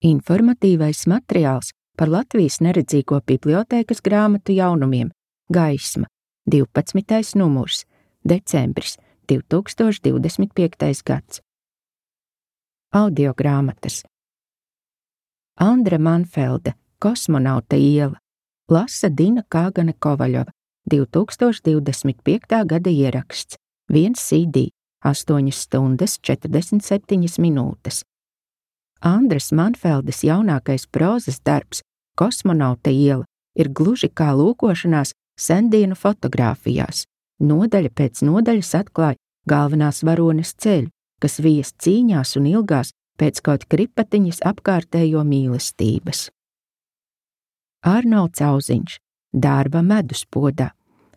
Informatīvais materiāls par Latvijas neredzīgo bibliotēkas grāmatu jaunumiem Gaisma, 12. numurs, decembris, 2025. gads. Audiogrāmatas. Andra Manfelda, Kosmonauta iela, lasa Dina Kāgane Kovaļova, 2025. gada ieraksts, 1 CD, 8 stundas 47 minūtes. Andras Manfeldes jaunākais prozas darbs, Kosmonauta iela, ir gluži kā lūkošanās sendienu fotogrāfijās. Nodaļa pēc nodaļas atklāja galvenās varones ceļu, kas vijas cīņās un ilgās pēc kaut kripatiņas apkārtējo mīlestības. Arnolds Auziņš, Dārva meduspodā,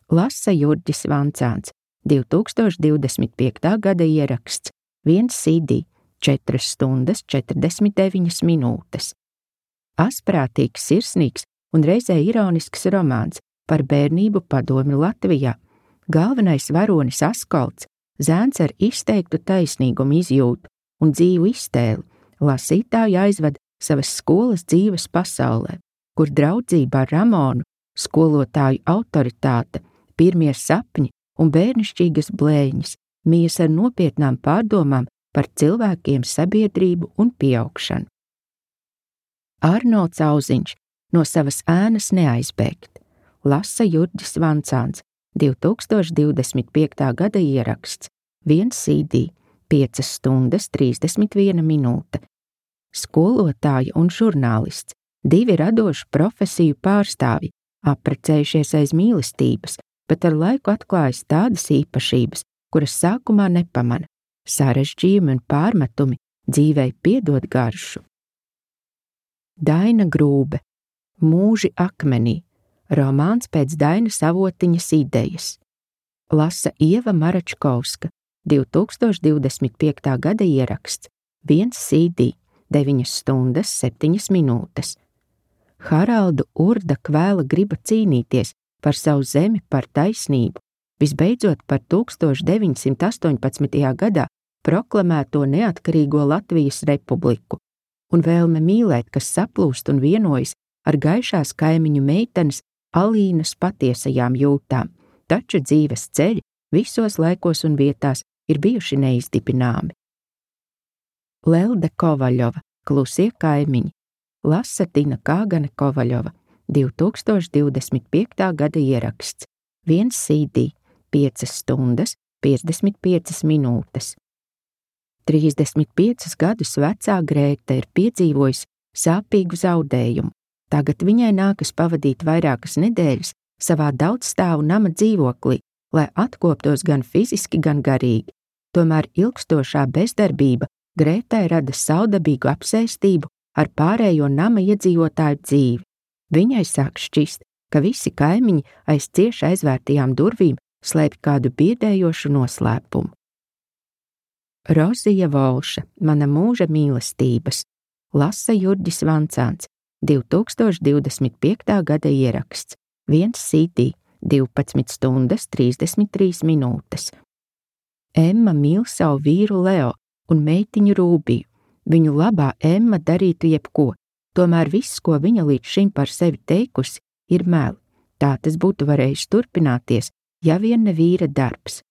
lasa Jurģis Vancāns, 2025. gada ieraksts, 1 CD, 4 stundas 49 minūtes. Asprātīgs, sirsnīgs un reizē ironisks romāns par bērnību padomju Latvijā. Galvenais varonis Askolds, zēns ar izteiktu taisnīgumu izjūtu un dzīvu iztēli, lasītāju aizved savas skolas dzīves pasaulē, kur draudzība ar Ramonu, skolotāju autoritāte, pirmie sapņi un bērnišķīgas blēņas mijas ar nopietnām pārdomām par cilvēkiem, sabiedrību un pieaugšanu. Arnolds Auziņš, no savas ēnas neaizbēgt, lasa Jurģis Vancāns, 2025. gada ieraksts, 1 CD, 5 stundas 31 minūte. Skolotāja un žurnālists, 2 radošu profesiju pārstāvji, apprecējušies aiz mīlestības, bet ar laiku atklājas tādas īpašības, kuras sākumā nepamana, sarežģījumi un pārmetumi dzīvei piedod garšu. Daina Grūbe, Mūži akmenī, romāns pēc Dainas Avotiņas idejas. Lasa Ieva Maračkovska, 2025. gada ieraksts, 1 CD, 9 stundas 7 minūtes. Haraldu Urda kvēla griba cīnīties par savu zemi, par taisnību, visbeidzot par 1918. gadā proklamēto neatkarīgo Latvijas republiku, un vēlme mīlēt, kas saplūst un vienojas ar gaišās kaimiņu meitenes Alīnas patiesajām jūtām, taču dzīves ceļi visos laikos un vietās ir bijuši neizdibināmi. Lelde Kovaļova, Klusie kaimiņi, lasa Dina Kāgane Kovaļova, 2025. gada ieraksts, 1 CD, 5 stundas 55 minūtes. 35 gadus vecā Grēta ir piedzīvojusi sāpīgu zaudējumu. Tagad viņai nākas pavadīt vairākas nedēļas savā daudzstāvu nama dzīvoklī, lai atkoptos gan fiziski, gan garīgi. Tomēr ilgstošā bezdarbība Grētai rada saudabīgu apsēstību ar pārējo nama iedzīvotāju dzīvi. Viņai sāk šķist, ka visi kaimiņi aiz cieši aizvērtajām durvīm slēpj kādu biedējošu noslēpumu. Rozija Volša, Mana mūža mīlestības, lasa Jurģis Vancāns, 2025. gada ieraksts, 1 CD, 12 stundas 33 minūtes. Emma mīl savu vīru Leo un meitiņu Rūbiju. Viņu labā Emma darītu jebko, tomēr viss, ko viņa līdz šim par sevi teikusi, ir meli. Tā tas būtu varējis turpināties, ja vien ne vīra darbs.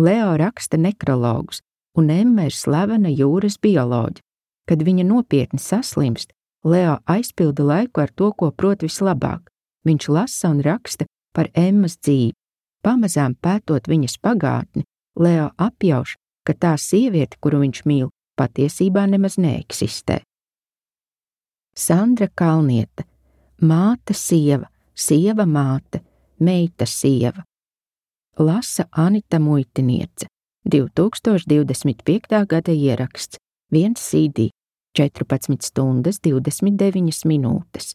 Leo raksta nekrologus, un Emma ir slavena jūras bioloģe. Kad viņa nopietni saslimst, Leo aizpilda laiku ar to, ko prot vislabāk. Viņš lasa un raksta par Emmas dzīvi. Pamazām pētot viņas pagātni, Leo apjauš, ka tā sieviete, kuru viņš mīl, patiesībā nemaz neeksistē. Sandra Kalniete, Māte sieva, sieva māte, meita sieva. Lasa Anita Muitiniece, 2025. gada ieraksts, 1 CD, 14 stundas 29 minūtes.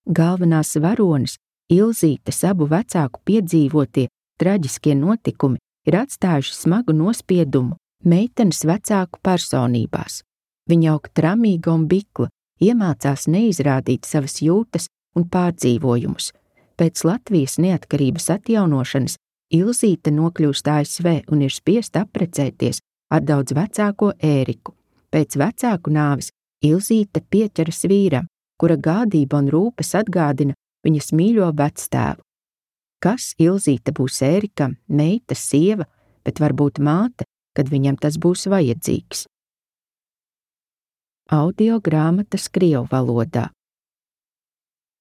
Galvenās varones, Ilzītes abu vecāku piedzīvotie traģiskie notikumi ir atstājuši smagu nospiedumu meitenes vecāku personībās. Viņa aug tramīga un bikla, iemācās neizrādīt savas jūtas un pārdzīvojumus. Pēc Latvijas neatkarības atjaunošanas Ilzīte nokļūst ASV un ir spiest apprecēties ar daudz vecāko Ēriku. Pēc vecāku nāves Ilzīte pieķeras vīram, kura gādība un rūpes atgādina viņas mīļo vectēvu. Kas Ilzīte būs Ērikam, meita, sieva, bet varbūt māte, kad viņam tas būs vajadzīgs. Audio grāmatas krievu valodā.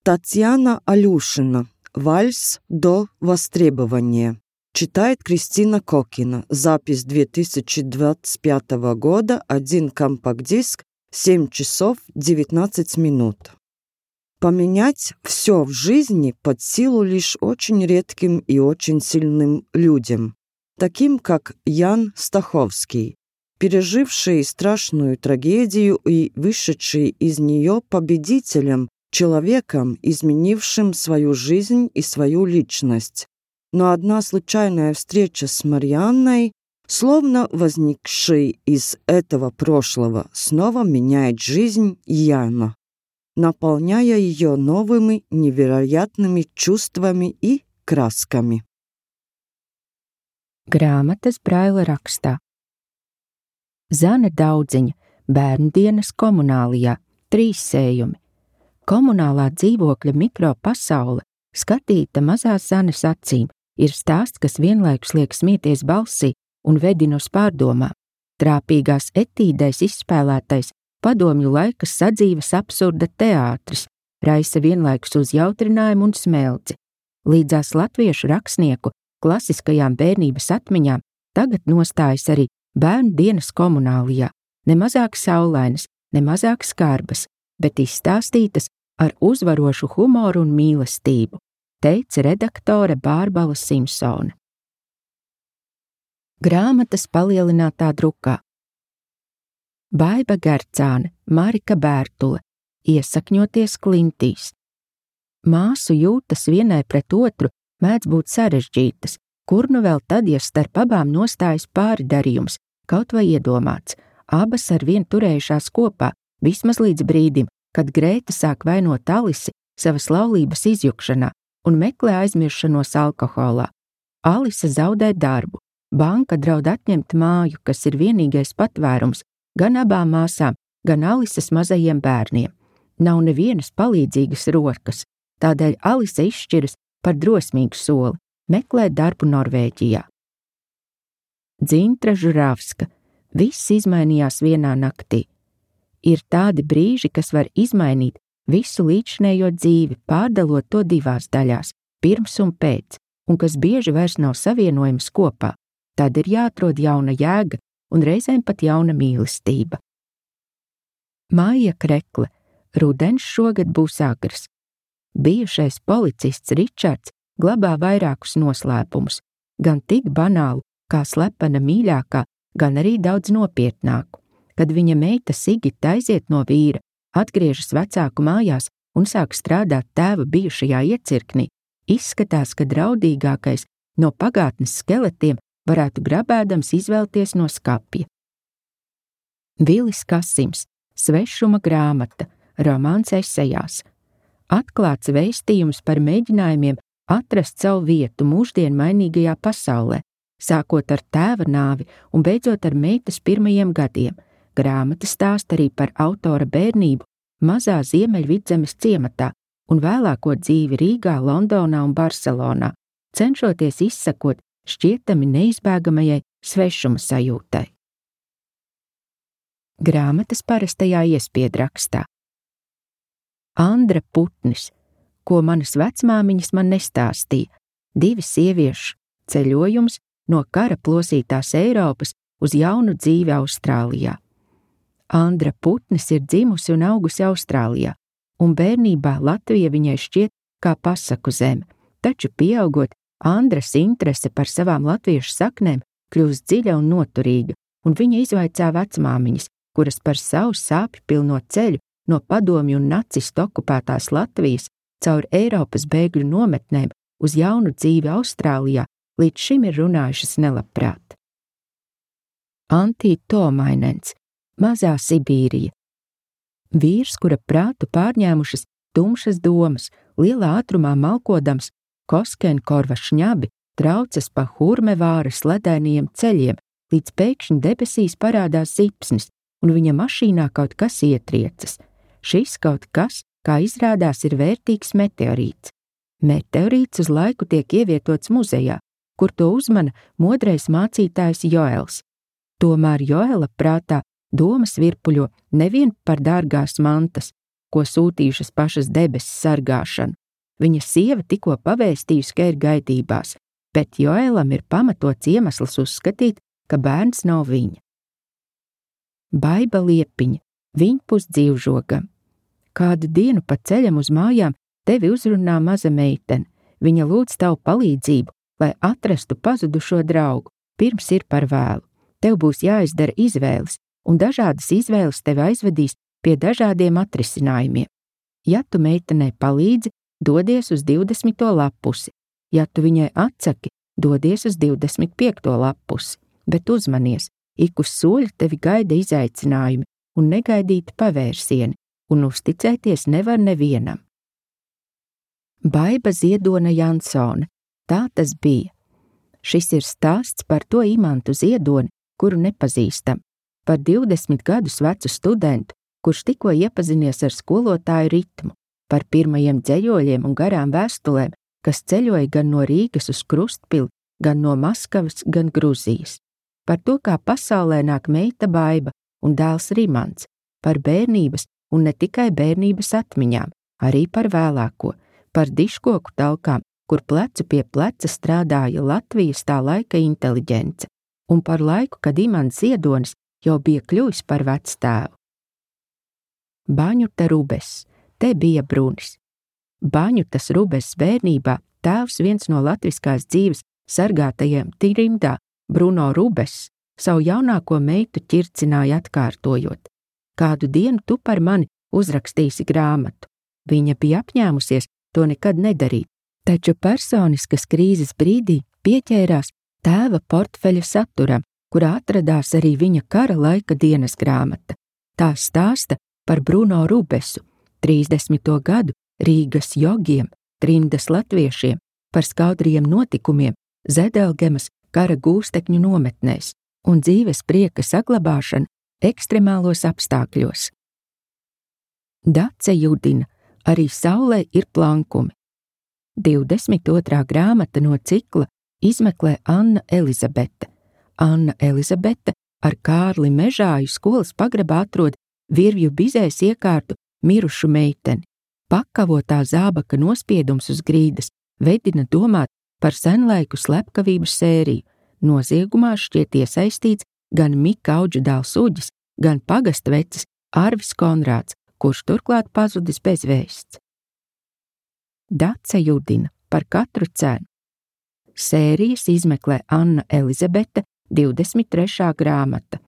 Татьяна Алюшина. Вальс до востребования. Читает Кристина Кокина. Запись 2025 года. 1 компакт-диск. 7 часов 19 минут. Поменять все в жизни под силу лишь очень редким и очень сильным людям, таким как Ян Стаховский, переживший страшную трагедию и вышедший из нее победителем, человеком, изменившим свою жизнь и свою личность. Но одна случайная встреча с Марианной, словно возникшей из этого прошлого, снова меняет жизнь Яна, наполняя ее новыми невероятными чувствами и красками. Grāmatas Braila rakstā. Zana Daudziņa, bērndienas komunālijā, 3 sējumi. Komunālā dzīvokļa mikropasaule, skatīta mazās Zanes acīm, ir stāsts, kas vienlaikus liek smieties balsī un vedina uz pārdomām. Trāpīgās etīdēs izspēlētais padomju laikas sadzīves absurda teātris raisa vienlaikus uzjautrinājumu un smeldzi. Līdzās latviešu rakstnieku klasiskajām bērnības atmiņām tagad nostājas arī bērnu dienas komunālijā, ne mazāk saulainas, ne mazāk skarbas, bet izstāstītas ar uzvarošu humoru un mīlestību, teica redaktore Bārbara Simpsone. Grāmatas palielinātā drukā. Baiba Gercāne, Marika Bērtule, iesakņoties klintīs. Māsu jūtas vienai pret otru mēdz būt sarežģītas, kur nu vēl tad, ja starp abām nostājas pāri darījums, kaut vai iedomāts, abas arvien turējušās kopā, vismaz līdz brīdim, kad Grēta sāk vainot Alisi savas laulības izjukšanā un meklē aizmiršanos alkoholā. Alise zaudē darbu, banka draud atņemt māju, kas ir vienīgais patvērums gan abām māsām, gan Alises mazajiem bērniem. Nav nevienas palīdzīgas rokas, tādēļ Alise izšķiras par drosmīgu soli – meklēt darbu Norvēģijā. Dzintra Žuravska. Viss izmainījās vienā naktī. Ir tādi brīži, kas var izmainīt visu līdzinējo dzīvi, pārdalot to 2 daļās – pirms un pēc, un kas bieži vairs nav savienojams kopā. Tad ir jāatrod jauna jēga un reizēm pat jauna mīlestība. Maija Krekle. Rudens šogad būs agrs. Bijušais policists Ričards glabā vairākus noslēpumus, gan tik banālu kā slepena mīļākā, gan arī daudz nopietnāku. Kad viņa meita Sigita aiziet no vīra, atgriežas vecāku mājās un sāk strādāt tēva bijušajā iecirknī, izskatās, ka draudīgākais no pagātnes skeletiem varētu grabēdams izvēlties no skapja. Vilis Kasims. Svešuma grāmata. Romāns esejās. Atklāts vēstījums par mēģinājumiem atrast savu vietu mūždien mainīgajā pasaulē, sākot ar tēva nāvi un beidzot ar meitas pirmajiem gadiem. Grāmata stāsta arī par autora bērnību mazā Ziemeļvidzemes ciematā un vēlāko dzīvi Rīgā, Londonā un Barcelonā, cenšoties izsakot šķietami neizbēgamajai svešuma sajūtai. Grāmatas parastajā iespiedrakstā. Andra Putnis, ko manas vecmāmiņas man nestāstīja, 2 sieviešu ceļojums no kara plosītās Eiropas uz jaunu dzīvi Austrālijā. Andra Putnis ir dzimusi un augusi Austrālijā, un bērnībā Latvija viņai šķiet kā pasaku zeme, taču pieaugot, Andras interese par savām latviešu saknēm kļūst dziļa un noturīga, un viņa izvaicā vecmāmiņas, kuras par savu sāpju pilno ceļu no padomju un nacistu okupētās Latvijas caur Eiropas bēgļu nometnēm uz jaunu dzīvi Austrālijā līdz šim ir runājušas nelabprāt. Antī Tomainens. Mazā Sibīrija. Vīrs, kura prātu pārņēmušas tumšas domas, lielā ātrumā malkodams Koskenkorva šņabi, traucas pa Hurmevāras ledainajiem ceļiem, līdz pēkšņi debesīs parādās zipsnis, un viņa mašīnā kaut kas ietriecas. Šis kaut kas, kā izrādās, ir vērtīgs meteorīts. Meteorīts uz laiku tiek ievietots muzejā, kur to uzmana modrais mācītājs Joels. Tomēr Joela prātā domas virpuļo nevien par dārgās mantas, ko sūtījušas pašas debesis sargāšanu. Viņa sieva tikko pavēstījusi, ka ir gaidībās, bet Joelam ir pamatots iemesls uzskatīt, ka bērns nav viņa. Baiba Liepiņa, viņpus dzīvžogam. Kādu dienu pa ceļam uz mājām tevi uzrunā maza meitene. Viņa lūdz tavu palīdzību, lai atrastu pazudušo draugu, pirms ir par vēlu. Tev būs jāizdara izvēles, un dažādas izvēles tevi aizvedīs pie dažādiem atrisinājumiem. Ja tu meitenei palīdzi, dodies uz 20. lappusi. Ja tu viņai atsaki, dodies uz 25. lappusi. Bet uzmanies, ik uz soļa tevi gaida izaicinājumi un negaidīti pavērsieni, un uzticēties nevar nevienam. Baiba Ziedone Jansone. Tā tas bija. Šis ir stāsts par to Imantu Ziedoni, kuru nepazīstam, par 20 gadus vecu studentu, kurš tikko iepazinies ar skolotāju ritmu, par pirmajiem dzeļoļiem un garām vēstulēm, kas ceļoja gan no Rīgas uz Krustpili, gan no Maskavas, gan Gruzijas, par to, kā pasaulē nāk meita Baiba un dēls Rimants, par bērnības un ne tikai bērnības atmiņām, arī par vēlāko, par diškoku talkām, kur plecu pie pleca strādāja Latvijas tā laika inteliģence, un par laiku, kad Imants Ziedonis jau bija kļuvis par vectēvu. Baņuta Rubes. Te bija Brunis. Baņutas Rubes bērnībā tēvs, viens no latviskās dzīves sargātajiem trimdā, Bruno Rubes, savu jaunāko meitu ķircināja atkārtojot. Kādu dienu tu par mani uzrakstīsi grāmatu. Viņa bija apņēmusies to nekad nedarīt, taču personiskas krīzes brīdī pieķērās tēva portfeļa saturam, kurā atradās arī viņa kara laika dienas grāmata. Tā stāsta par Bruno Rubesu, 30. gadu Rīgas jogiem, trimdas latviešiem, par skaudriem notikumiem Zedelgemas kara gūstekņu nometnēs un dzīves prieka saglabāšanu ekstremālos apstākļos. Dace Judina. Arī saulē ir plankumi. 22. grāmata no cikla izmeklē Anna Elizabete. Anna Elizabete ar Kārli Mežāju skolas pagrabā atrod virvju bizēs iekārtu mirušu meiteni. Pakavotā zābaka nospiedums uz grīdas vedina domāt par senlaiku slepkavību sēriju. Noziegumā šķiet iesaistīts gan Mika Audžudāls Uģis, gan pagasta vecis Arvis Konrāds, kurš turklāt pazudis bez vēsts. Dace Judina. Par katru cenu. Sērijas izmeklē Anna Elizabete, 23. grāmata.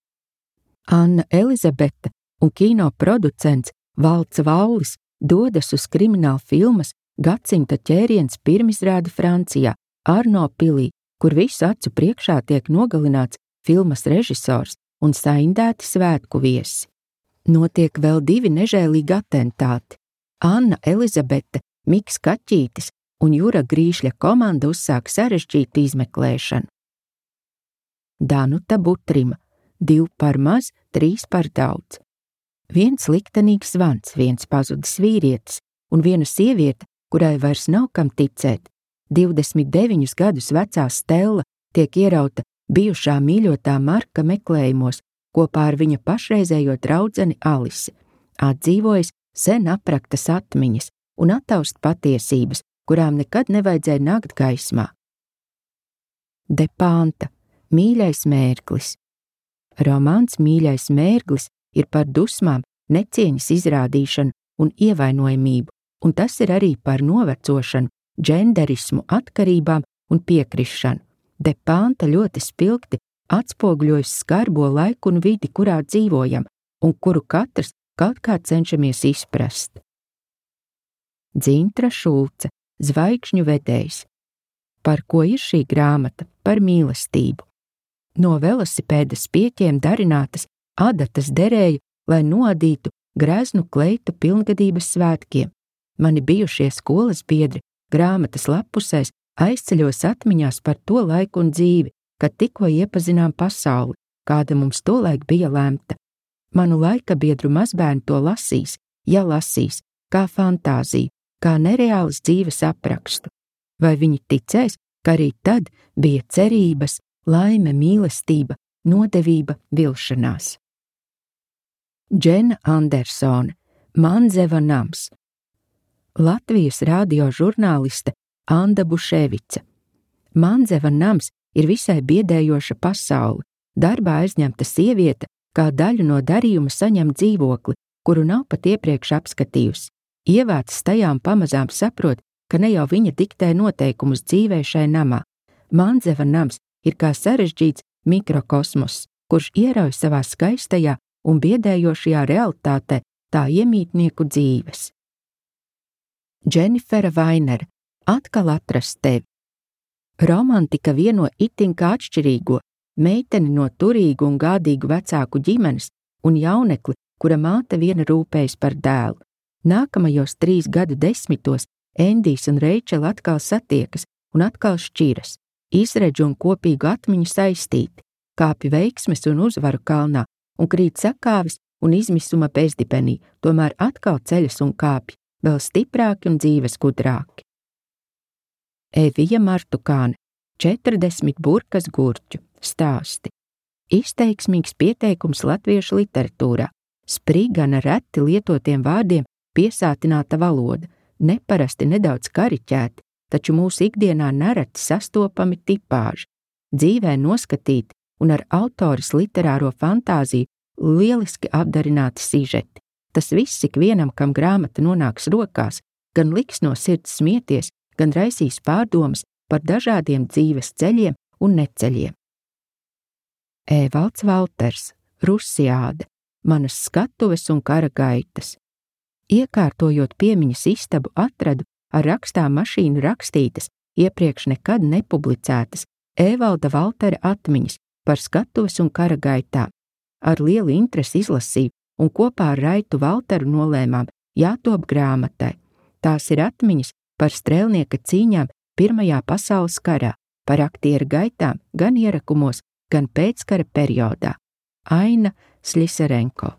Anna Elizabete un kino producents Valds Vallis dodas uz krimināla filmas Gadsimta ķēriens pirmizrādi Francijā, Arno pilī, kur visu acu priekšā tiek nogalināts filmas režisors un saindēti svētku viesi. Notiek vēl 2 nežēlīgi atentāti. Anna Elizabete, Miks Kaķītis un Jura Grīšļa komanda uzsāk sarežģītu izmeklēšanu. Danuta Butrima. 2 par maz, 3 par daudz. Viens liktenīgs zvans, viens pazudis vīrietis un viena sieviete, kurai vairs nav kam ticēt. 29 gadus vecā Stella tiek ierauta bijušā mīļotā Marka meklējumos kopā ar viņa pašreizējo draudzeni Alisi. Atdzīvojas sen apraktas atmiņas un attaust patiesības, kurām nekad nevajadzēja nākt gaismā. De Panta. Mīļais mērglis. Romāns Mīļais mērglis ir par dusmām, necieņas izrādīšanu un ievainojamību, un tas ir arī par novecošanu, dženderismu, atkarībām un piekrišanu. De Panta ļoti spilgti atspoguļojas skarbo laiku un vidi, kurā dzīvojam, un kuru katrs kaut kā cenšamies izprast. Dzintra Šulce. Zvaigžņu vedējs. Par ko ir šī grāmata? Par mīlestību. No velosipēda spieķiem darinātas adatas derēju, lai noadītu greznu kleitu pilngadības svētkiem. Mani bijušie skolas biedri grāmatas lappusēs aizceļos atmiņās par to laiku un dzīvi, kad tikko iepazinām pasauli, kāda mums tolaik bija lemta. Manu laikabiedru mazbērni to lasīs, ja lasīs, kā fantāziju, kā nereālas dzīves aprakstu. Vai viņi ticēs, ka arī tad bija cerības, laime, mīlestība, nodevība, vilšanās? Džena Andersone, Mandzeva nams. Latvijas radio žurnāliste Anda Buševica. Mandzeva nams ir visai biedējoša pasaule. Darbā aizņemta sieviete kā daļu no darījuma saņem dzīvokli, kuru nav pat iepriekš apskatījusi. Ievācis tajā un pamazām saprot, ka ne jau viņa diktē noteikumus dzīvē šai namā. Mandzeva nams ir kā sarežģīts mikrokosmos, kurš ierauj savā skaistajā un biedējošajā realitātē tā iemītnieku dzīves. Dženifera Vainera, Atkal atrast tevi. Romantika vieno itin kā atšķirīgo, meiteni no turīgu un gādīgu vecāku ģimenes un jaunekli, kura māte viena rūpējas par dēlu. Nākamajos 3 gadu desmitos Endijs un Reičela atkal satiekas un atkal šķiras, izredzu un kopīgu atmiņu saistīti, kāpj veiksmes un uzvaru kalnā un krīt sakāvis un izmisuma bezdibenī, tomēr atkal ceļas un kāpj, vēl stiprāki un dzīves gudrāki. Evija Martukāne, 40 burkas gurķu, stāsti. Izteiksmīgs pieteikums latviešu literatūrā, sprigana reti lietotiem vārdiem piesātināta valoda, neparasti nedaudz kariķēti, taču mūsu ikdienā nereti sastopami tipāži, dzīvē noskatīti un ar autores literāro fantāziju lieliski apdarināti sižeti. Tas viss ikvienam, kam grāmata nonāks rokās, gan liks no sirds smieties, gan raisīs pārdomas par dažādiem dzīves ceļiem un neceļiem. Evalds Valters, Rusiāde, Manas skatuves un kara gaitas. Iekārtojot piemiņas istabu, atradu ar rakstām mašīnu rakstītas, iepriekš nekad nepublicētas Evalda Valtera atmiņas par skatuves un kara gaitām. Ar lielu interesi izlasīju un kopā ar Raitu Valteru nolēmām jātop grāmatai. Tās ir atmiņas par strēlnieka cīņām Pirmajā pasaules karā, par aktieru gaitām gan ierakumos, gan pēckara periodā. Aina Sliserenko.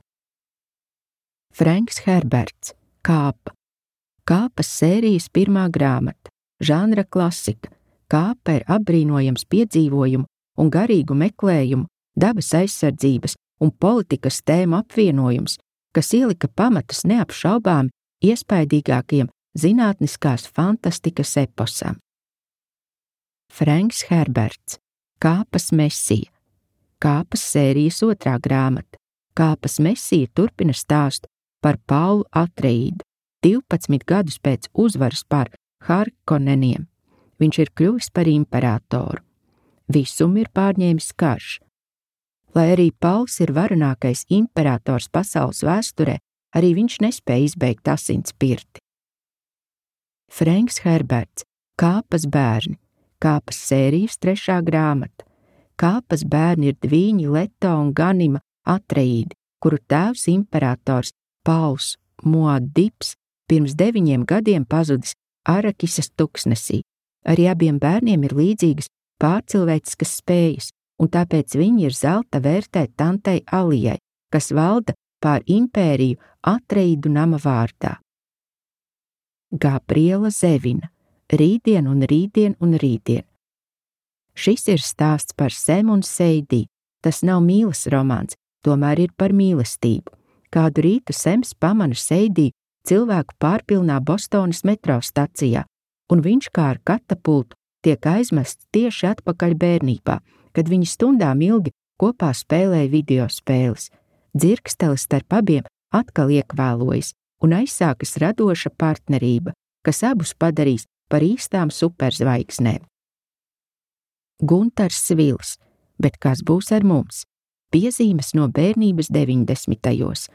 Franks Herberts, Kāpa. Kāpas sērijas pirmā grāmata, žanra klasika. Kāpa ir apbrīnojams piedzīvojumu un garīgu meklējumu, dabas aizsardzības un politikas tēmu apvienojums, kas ielika pamatus neapšaubāmi iespaidīgākiem zinātniskās fantastikas eposam. Franks Herberts, Kāpas mesija. Kāpas sērijas otrā grāmata. Kāpas mesija turpina stāstu par Paulu Atreīdu, 12 gadus pēc uzvaras pār Harkonneniem. Viņš ir kļuvis par imperatoru. Visumu ir pārņēmis karš. Lai arī Pauls ir varenākais imperators pasaules vēsturē, arī viņš nespēja izbeigt asinspirti. Franks Herberts, Kāpas bērni. Kāpas sērijas 3. grāmata. Kāpas bērni ir Dvīņi, Leto un Ganima Atreīdi, kuru tēvs imperators Pauls Muadips pirms 9 gadiem pazudis Arakisas tuksnesī. Arī abiem bērniem ir līdzīgas pārcilvēciskas spējas, un tāpēc viņi ir zelta vērtēt tantei Alijai, kas valda pār impēriju Atreīdu nama vārdā. Gabriela Zevina, Rītdien un rītdien un rītdien. Šis ir stāsts par Semu un Seidī. Tas nav mīlas romāns, tomēr ir par mīlestību. Kādu rītu Sems pamana Seidī cilvēku pārpilnā Bostonas metro stacijā, un viņš kā ar katapultu tiek aizmests tieši atpakaļ bērnībā, kad viņi stundām ilgi kopā spēlēja video spēles. Dzirkstelis starp abiem atkal iekvēlojas, un aizsākas radoša partnerība, kas abus padarīs par īstām superzvaigznēm. Guntars Svils, bet kas būs ar mums? Piezīmes no bērnības 90.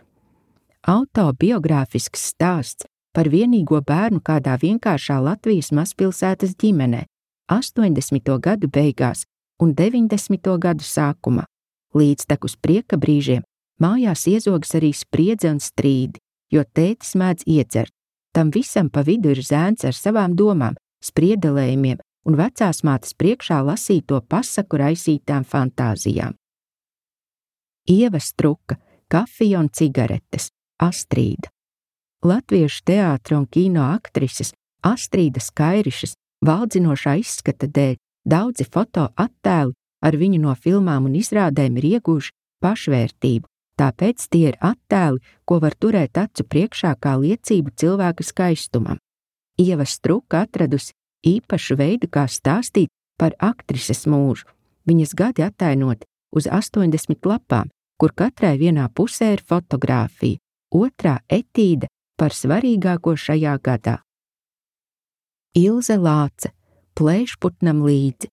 Autobiogrāfisks stāsts par vienīgo bērnu kādā vienkāršā Latvijas mazpilsētas ģimenē 80. gadu beigās un 90. gadu sākumā. Līdztekus prieka brīžiem mājās iezogas arī spriedze un strīdi, jo tētis mēdz iedzert. Tam visam pa vidu ir zēns ar savām domām, spriedelējumiem un vecās mātes priekšā lasīto pasaku raisītām fantāzijām. Ieva Struka, Kafija un cigaretes, Astrīda. Latviešu teātra un kino aktrises Astrīdas Kairišas valdzinošā izskata dēļ daudzi fotoattēli ar viņu no filmām un izrādēm ir ieguvuši pašvērtību, tāpēc tie ir attēli, ko var turēt acu priekšā kā liecību cilvēka skaistumam. Ieva Struka atradusi īpašu veidu, kā stāstīt par aktrises mūžu. Viņas gadi attainoti uz 80 lapām, kur katrai vienā pusē ir fotogrāfija, otrā etīde par svarīgāko šajā gadā. Ilze Lāce, Plēšputnam līdzi.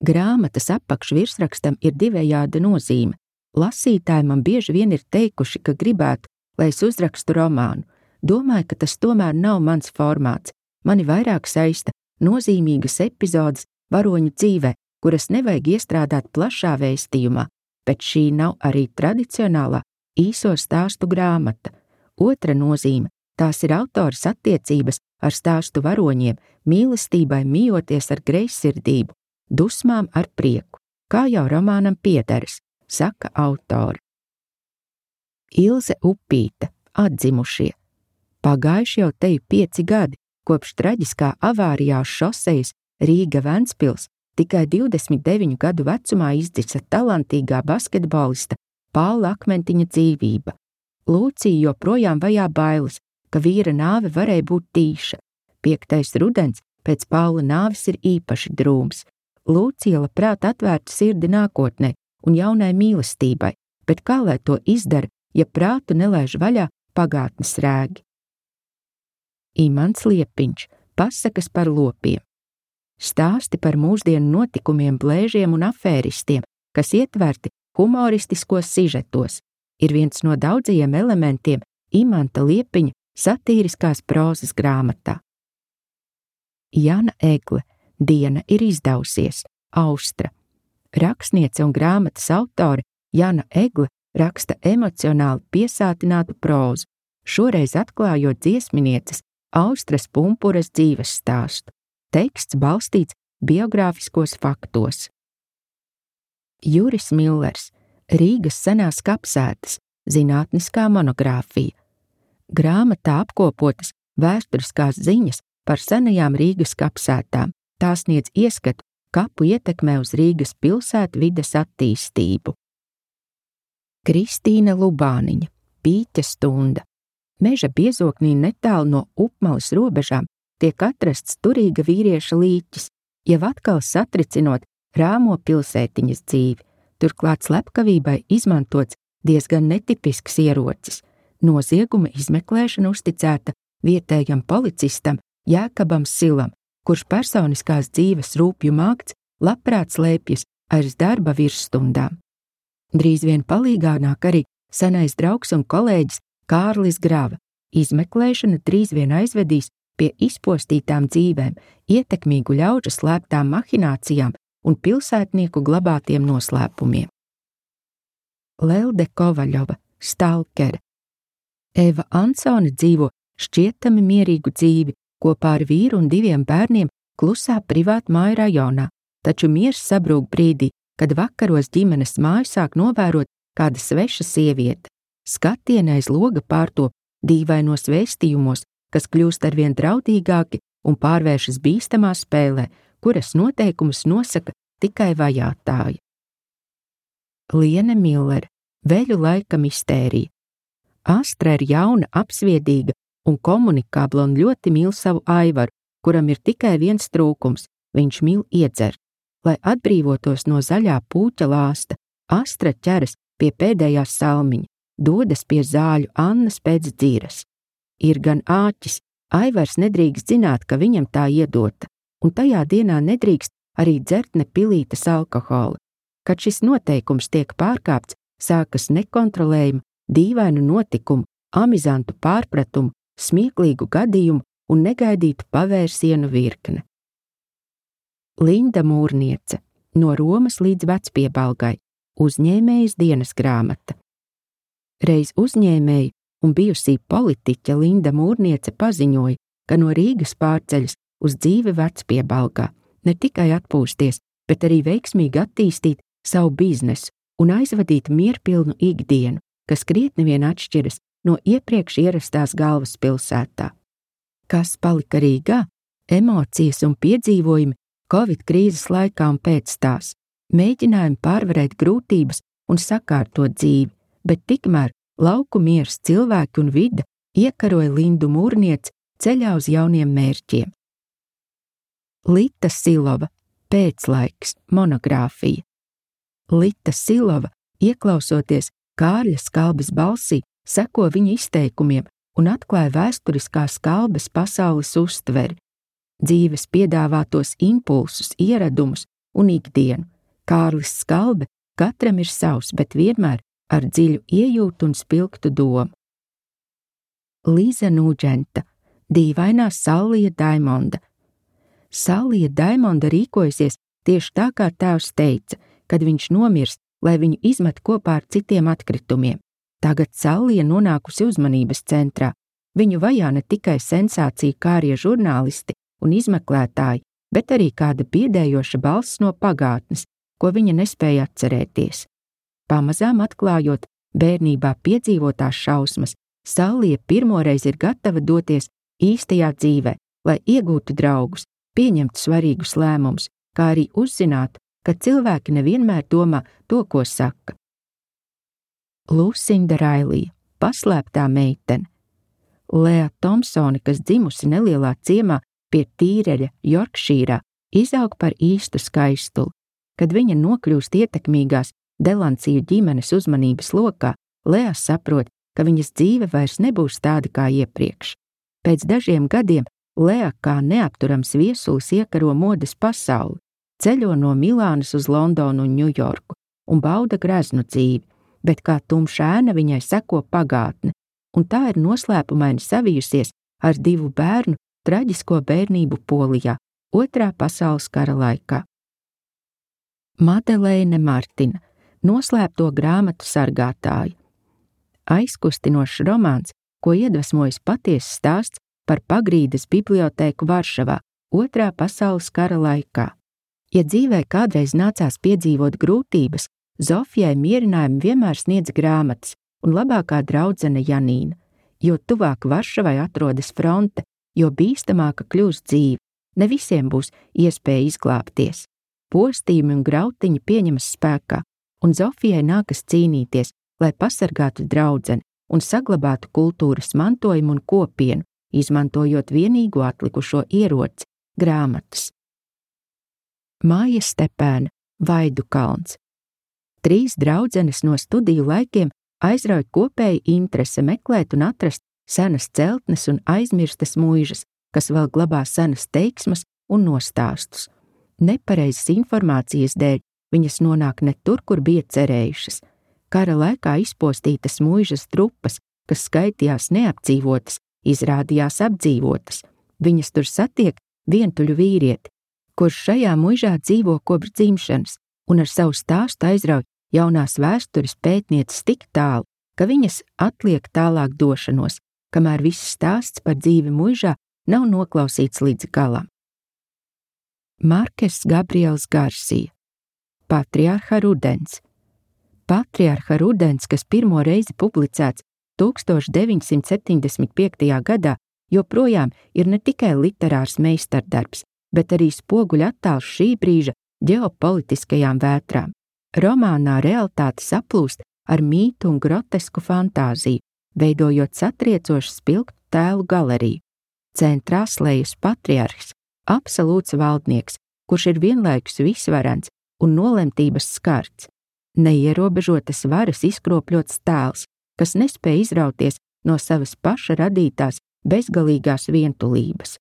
Grāmatas apakšvirsrakstam ir divējāda nozīme. Lasītāji man bieži vien ir teikuši, ka gribētu, lai es uzrakstu romānu. Domāju, ka tas tomēr nav mans formāts. Mani vairāk saista nozīmīgas epizodes varoņu dzīvē, kuras nevajag iestrādāt plašā vēstījumā, bet šī nav arī tradicionālā īso stāstu grāmata. Otra nozīme – tās ir autoras attiecības ar stāstu varoņiem, mīlestībai mījoties ar greizsirdību, dusmām ar prieku, kā jau romānam piederas, saka autori. Ilze Upīte, Atdzimušie. Pagājuši jau teju 5 gadi, kopš traģiskā avārijā uz šosejas Rīga-Ventspils tikai 29 gadu vecumā izdzisa talantīgā basketbolista Paula Akmentiņa dzīvība. Lūciju joprojām vajā bailes, ka vīra nāve varēja būt tīša. 5. rudens pēc Paula nāves ir īpaši drūms. Lūcija labprāt atvērtu sirdi nākotnē un jaunai mīlestībai, bet kā lai to izdara, ja prātu nelaiž vaļā pagātnes rēgi? Imants Liepiņš, Pasakas par lopiem. Stāsti par mūsdienu notikumiem, blēžiem un afēristiem, kas ietverti humoristiskos sižetos, ir viens no daudzajiem elementiem Imanta Liepiņa satīriskās prozas grāmatā. Jana Egle, Diena ir izdevusies, Austra. Rakstniece un grāmatas autore Jana Egle raksta emocionāli piesātinātu prózu, šoreiz atklājot dziesminieces Austras Pumpuras dzīves stāstu. Teksts balstīts biogrāfiskos faktos. Juris Millers, Rīgas senās kapsētas, zinātniskā monogrāfija. Grāmatā apkopotas vēsturiskās ziņas par senajām Rīgas kapsētām. Tās sniedz ieskatu kapu ietekmē uz Rīgas pilsētvides attīstību. Kristīna Lubāniņa, Pīķa stunda. Meža biezoknī netālu no Upmalas robežām tiek atrasts turīga vīrieša līķis, jau atkal satricinot rāmo pilsētiņas dzīvi. Turklāt slepkavībai izmantots diezgan netipisks ierocis. Nozieguma izmeklēšana uzticēta vietējam policistam Jēkabam Silam, kurš personiskās dzīves rūpju mākts labprāt slēpjas aiz darba virsstundām. Drīz vien palīgā nāk arī senais draugs un kolēģis Kārlis Grava. Izmeklēšana drīz vien aizvedīs pie izpostītām dzīvēm, ietekmīgu ļaužu slēptām mahinācijām un pilsētnieku glabātiem noslēpumiem. Lelde Kovaļova, Stalkere. Eva Ansone dzīvo šķietami mierīgu dzīvi kopā ar vīru un 2 bērniem klusā privātmāju rajonā, taču miers sabrūk brīdī, kad vakaros ģimenes māju sāk novērot kāda sveša sieviete. Skatieni aiz loga pārtop dīvainos vēstījumos, kas kļūst arvien draudīgāki un pārvēršas bīstamā spēlē, kuras noteikumus nosaka tikai vajātāji. Liene Millere, Veļu laika mistērija. Astra ir jauna, apsviedīga un komunikabla un ļoti mīl savu Aivaru, kuram ir tikai viens trūkums – viņš mīl iedzert. Lai atbrīvotos no zaļā pūķa lāsta, Astra ķeras pie pēdējās salmiņa, dodas pie zāļu Annas pēc dziras. Ir gan āķis, Aivars nedrīkst zināt, ka viņam tā iedota, un tajā dienā nedrīkst arī dzert ne pilītes alkohola. Kad šis noteikums tiek pārkāpts, sākas nekontrolējama, dīvainu notikumu, amizantu pārpratumu, smieklīgu gadījumu un negaidītu pavērsienu virkne. Linda Mūrniece, No Romas līdz Vecpiebalgai, uzņēmējas dienas grāmata. Reiz uzņēmēja un bijusī politiķe Linda Mūrniece paziņoja, ka no Rīgas pārceļas uz dzīvi Vecpiebalgā, ne tikai atpūsties, bet arī veiksmīgi attīstīt savu biznesu un aizvadīt mierpilnu ikdienu, kas krietni vien atšķiras no iepriekš ierastās galvaspilsētā. Kas palika Rīgā? Emocijas un piedzīvojumi Covid krīzes laikā un pēc tās, mēģinājumi pārvarēt grūtības un sakārtot dzīvi, bet tikmēr lauku miers, cilvēki un vide iekaroja Lindu Mūrnieci ceļā uz jauniem mērķiem. Lita Silova, pēclaiks, monogrāfija. Lita Silova, ieklausoties Kārļa Skalbes balsī, seko viņa izteikumiem un atklāja vēsturiskās Skalbes pasaules uztveri, dzīves piedāvātos impulsus, ieradumus un ikdienu. Kārlis Skalbe katram ir savs, bet vienmēr ar dziļu iejūtu un spilgtu domu. Līza Nūģenta, dīvainā Sallija Daimonda. Sallija Daimonda rīkojasies tieši tā, kā tēvs teica, kad viņš nomirs, lai viņu izmet kopā ar citiem atkritumiem. Tagad Sallija nonākusi uzmanības centrā. Viņu vajā ne tikai sensācija kārie žurnālisti un izmeklētāji, bet arī kāda biedējoša balss no pagātnes, ko viņa nespēja atcerēties. Pamazām atklājot bērnībā piedzīvotās šausmas, Sallija pirmoreiz ir gatava doties īstajā dzīvē, lai iegūtu draugus, pieņemtu svarīgus lēmumus, kā arī uzzinātu, ka cilvēki nevienmēr domā to, ko saka. Lusinda Railija, paslēptā meitene. Lea Thompsone, kas dzimusi nelielā ciemā pie Tīreļa, Jorkšīrā, izaug par īstu skaistuli. Kad viņa nokļūst ietekmīgās Delanciju ģimenes uzmanības lokā, Lea saprot, ka viņas dzīve vairs nebūs tāda kā iepriekš. Pēc dažiem gadiem Lea kā neapturams viesulis iekaro modes pasauli, ceļo no Milānas uz Londonu un Ņujorku un bauda greznu dzīvi, bet kā tumša ēna viņai seko pagātne, un tā ir noslēpumaini savijusies ar 2 bērnu traģisko bērnību Polijā, 2. pasaules kara laikā. Madeleine Martina, noslēpto grāmatu sargātāja. Aizkustinošs romāns, ko iedvesmojas patiesas stāsts par Pagrīdes bibliotēku Varšavā, 2. pasaules kara laikā. Ja dzīvē kādreiz nācās piedzīvot grūtības, Zofijai mierinājumu vienmēr sniedz grāmatas un labākā draudzene Janīna, jo tuvāk Varšavai atrodas fronte, jo bīstamāka kļūst dzīve, ne visiem būs iespēja izglābties. Postījumi un grautiņi pieņemas spēkā, un Zofijai nākas cīnīties, lai pasargātu draudzeni un saglabātu kultūras mantojumu un kopienu, izmantojot vienīgo atlikušo ieroci – grāmatas. Māja Stepēna, Vaidu kalns. 3 draudzenes no studiju laikiem aizrauj kopēju interese meklēt un atrast senas celtnes un aizmirstas muižas, kas vēl glabā senas teiksmes un nostāstus. Nepareizas informācijas dēļ viņas nonāk ne tur, kur bija cerējušas. Kara laikā izpostītas muižas drupas, kas skaitījās neapdzīvotas, izrādījās apdzīvotas. Viņas tur satiek vientuļu vīrieti, kurš šajā muižā dzīvo kopš dzimšanas un ar savu stāstu aizrauj jaunās vēstures pētnieces tik tālu, ka viņas atliek tālāk došanos, kamēr viss stāsts par dzīvi muižā nav noklausīts līdz galam. Markess Gabriels Garsija, Patriarha rudens. Patriarha rudens, kas pirmo reizi publicēts 1975. gadā, joprojām ir ne tikai literārs meistardarbs, bet arī spoguļ attēls šī brīža ģeopolitiskajām vētrām. Romānā realitāte saplūst ar mītu un grotesku fantāziju, veidojot satriecošu spilgtu tēlu galeriju. Centrā slējas patriarhs, absolūts valdnieks, kurš ir vienlaikus visvarens un nolemtības skarts. Neierobežotas varas izkropļots tēls, kas nespēj izrauties no savas paša radītās bezgalīgās vientulības.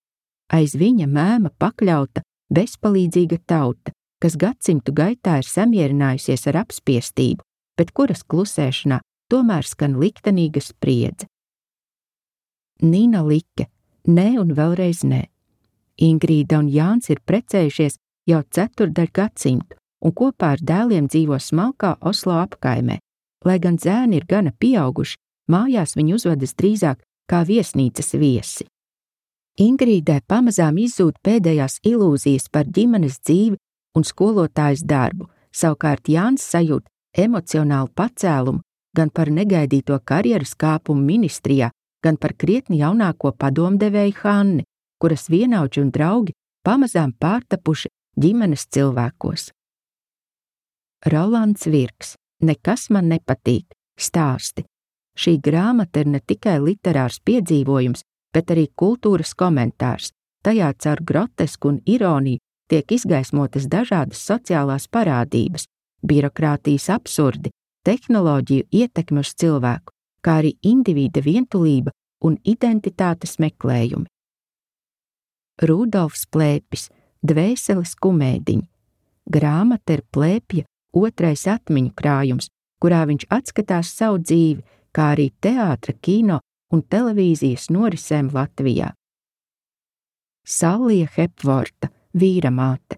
Aiz viņa mēma pakļauta, bezpalīdzīga tauta, kas gadsimtu gaitā ir samierinājusies ar apspiestību, bet kuras klusēšanā tomēr skan liktenīga spriedze. Nina Like, nē un vēlreiz nē. Ingrīda un Jānis ir precējušies jau 4 gadsimtu un kopā ar dēliem dzīvo smalkā Oslo apkaimē. Lai gan zēni ir gana pieauguši, mājās viņi uzvedas drīzāk kā viesnīcas viesi. Ingrīdai pamazām izzūd pēdējās ilūzijas par ģimenes dzīvi un skolotājas darbu, savukārt Jānis sajūt emocionālu pacēlumu gan par negaidīto karjeras kāpumu ministrijā, gan par krietni jaunāko padomdevēju Hanni, kuras vienaudži un draugi pamazām pārtapuši ģimenes cilvēkos. Rolands Virks, Nekas man nepatīk, stāsti. Šī grāmata ir ne tikai literārs piedzīvojums, bet arī kultūras komentārs. Tajā caur grotesku un ironiju tiek izgaismotas dažādas sociālās parādības, birokrātijas absurdi, tehnoloģiju ietekme uz cilvēku, kā arī individa vientulība un identitātes meklējumi. Rudolfs Plēpis, Dvēseles kumēdiņi. Grāmata ir Plēpja otrais atmiņu krājums, kurā viņš atskatās savu dzīvi, kā arī teātra, kino un televīzijas norisēm Latvijā. Sallija Hepvorta, Vīramāte.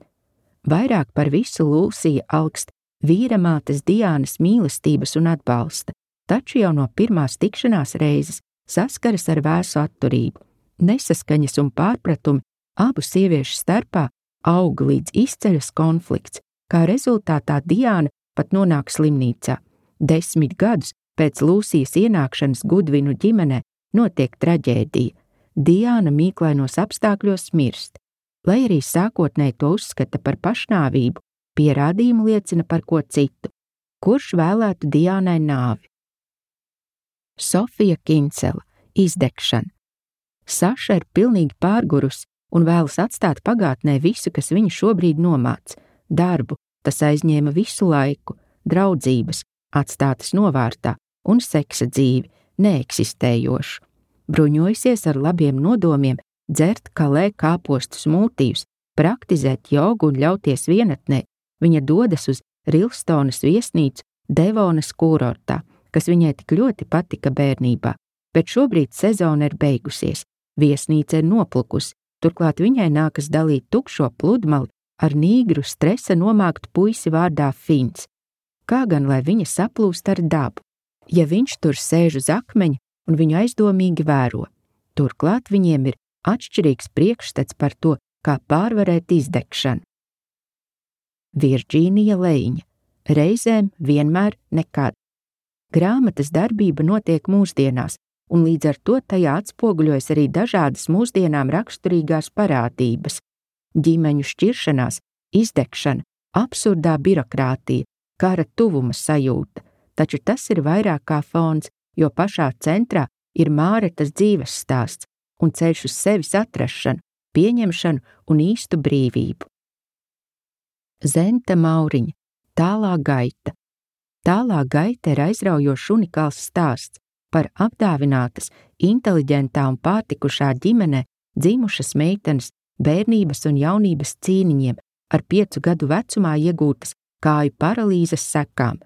Vairāk par visu Lūsija augst vīramātes Diānas mīlestības un atbalsta, taču jau no pirmās tikšanās reizes saskaras ar vēsu atturību. Nesaskaņas un pārpratumi abu sieviešu starpā aug līdz izceļas konflikts, kā rezultātā Diāna pat nonāk slimnīcā. 10 gadus pēc Lūsijas ienākšanas Gudvinu ģimenē notiek traģēdija. Diāna mīklainos apstākļos mirst. Lai arī sākotnēji to uzskata par pašnāvību, pierādījumi liecina par ko citu. Kurš vēlētu Diānai nāvi? Sofija Kincela, Izdegšana. Saša ir pilnīgi pārgurusi un vēlas atstāt pagātnē visu, kas viņa šobrīd nomāc. Darbu, tas aizņēma visu laiku, draudzības, atstātas novārtā, un seksa dzīvi, neeksistējošu. Bruņojusies ar labiem nodomiem, dzert kalē kāpostu smūtijus, praktizēt jogu un ļauties vienatnē, viņa dodas uz Rilstonas viesnīcu Devonas kūrortā, kas viņai tik ļoti patika bērnībā, bet šobrīd sezona ir beigusies, viesnīca ir noplukusi, turklāt viņai nākas dalīt tukšo pludmali ar nīgru stresa nomāktu puisi vārdā Fins. Kā gan lai viņa saplūst ar dabu, ja viņš tur sēž uz akmeņa un viņu aizdomīgi vēro? Turklāt viņiem ir atšķirīgs priekšstats par to, kā pārvarēt izdegšanu. Virdžīnija Leiņa, Reizēm, vienmēr, nekad. Grāmatas darbība notiek mūsdienās, un līdz ar to tajā atspoguļojas arī dažādas mūsdienām raksturīgās parādības – ģimeņu šķiršanās, izdegšana, absurdā birokrātija, kara tuvuma sajūta, taču tas ir vairāk kā fons, jo pašā centrā ir Māretas dzīves stāsts un ceļš uz sevis atrašanu, pieņemšanu un īstu brīvību. Zenta Mauriņa, Tālā gaita. Tālā gaita ir aizraujošs unikāls stāsts par apdāvinātas, inteliģentā un pārtikušā ģimenē dzimušas meitenes bērnības un jaunības cīniņiem ar 5 gadu vecumā iegūtas kāju paralīzes sekām.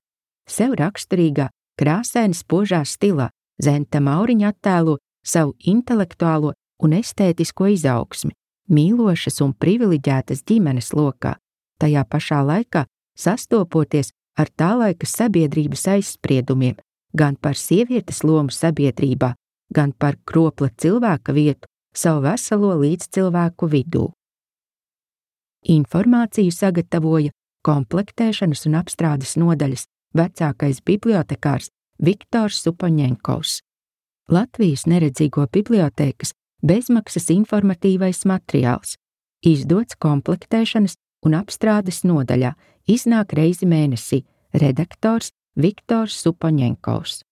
Sev raksturīgā, krāsaini spožā stilā Zenta Mauriņa attēlo savu intelektuālo un estētisko izaugsmi, mīlošas un privileģētas ģimenes lokā, tajā pašā laikā sastopoties ar tā laika sabiedrības aizspriedumiem, gan par sievietes lomu sabiedrībā, gan par kropla cilvēka vietu savu veselo līdzcilvēku vidū. Informāciju sagatavoja komplektēšanas un apstrādes nodaļas vecākais bibliotekārs Viktors Supaņenkovs. Latvijas neredzīgo bibliotēkas bezmaksas informatīvais materiāls, izdots komplektēšanas un apstrādes nodaļā, iznāk reizi mēnesī, redaktors Viktors Supaņenkovs.